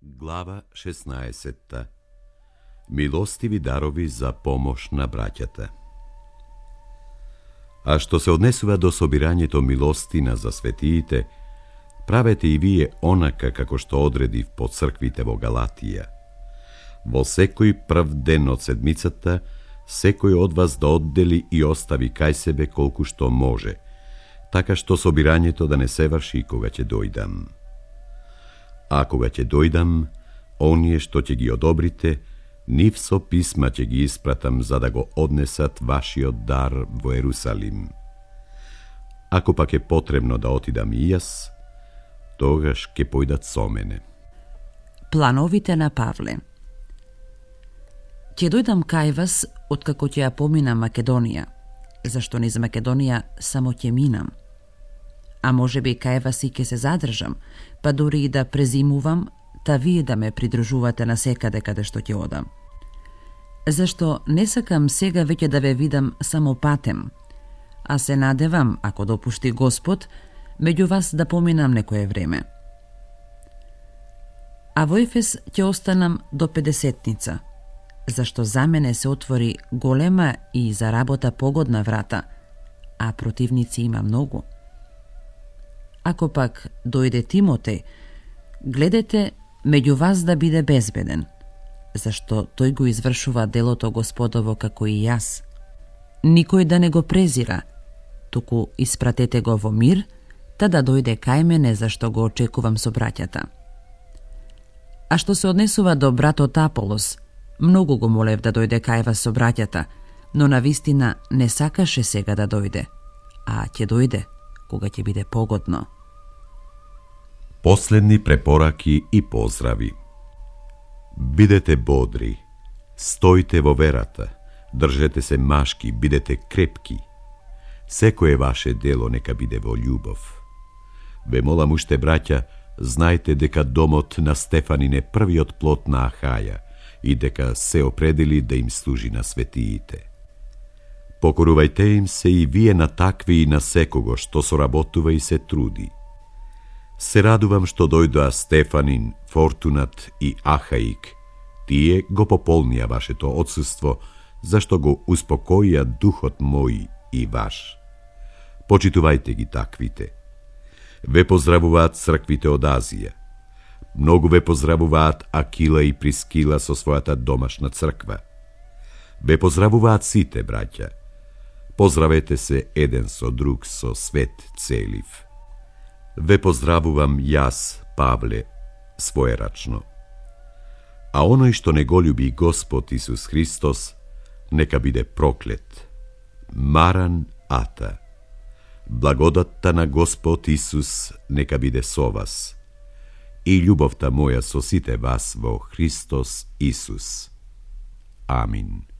Глава 16. Милостиви дарови за помош на браќата. А што се однесува до собирањето милостина за светиите, правете и вие онака како што одредив по црквите во Галатија. Во секој прв ден од седмицата, секој од вас да оддели и остави кај себе колку што може, така што собирањето да не се врши кога ќе дојдам. А кога ќе дојдам, оние што ќе ги одобрите, нив со писма ќе ги испратам за да го однесат вашиот дар во Ерусалим. Ако пак е потребно да отидам и јас, тогаш ќе појдат со мене. Плановите на Павле. Ќе дојдам кај вас откако ќе ја поминам Македонија, зашто низ Македонија само ќе минам. А може би кај вас и ќе се задржам, па дури и да презимувам, та вие да ме придружувате на секаде каде што ќе одам. Зашто не сакам сега веќе да ве видам само патем, а се надевам, ако допушти Господ, меѓу вас да поминам некое време. А во Ефес ќе останам до 50-ница, зашто за мене се отвори голема и за работа погодна врата, а противници има многу. Ако пак дојде Тимотеј, гледате меѓу вас да биде безбеден, зашто тој го извршува делото Господово како и јас. Никој да не го презира, туку испратете го во мир, та да дојде кај мене, зашто го очекувам со браќата. А што се однесува до братот Аполос, многу го молев да дојде кај вас со браќата, но навистина не сакаше сега да дојде, а ќе дојде кога ќе биде погодно. Последни препораки и поздрави. Бидете бодри, стојте во верата, држете се машки, бидете крепки. Секое ваше дело нека биде во љубов. Ве молам уште, браќа, знајте дека домот на Стефанин е првиот плод на Ахаја и дека се определи да им служи на светиите. Покорувајте им се и вие на такви и на секого што соработува и се труди. Се радувам што дојдоа Стефанин, Фортунат и Ахаик. Тие го пополнија вашето отсуство, зашто го успокоија духот мој и ваш. Почитувајте ги таквите. Ве поздравуваат црквите од Азија. Многу ве поздравуваат Акила и Прискила со својата домашна црква. Ве поздравуваат сите, браќа. Поздравете се еден со друг со свет целив. Ве поздравувам јас, Павле, своерачно. А оној што не го љуби Господ Исус Христос, нека биде проклет. Маран Ата. Благодатта на Господ Исус нека биде со вас. И љубовта моја со сите вас во Христос Исус. Амин.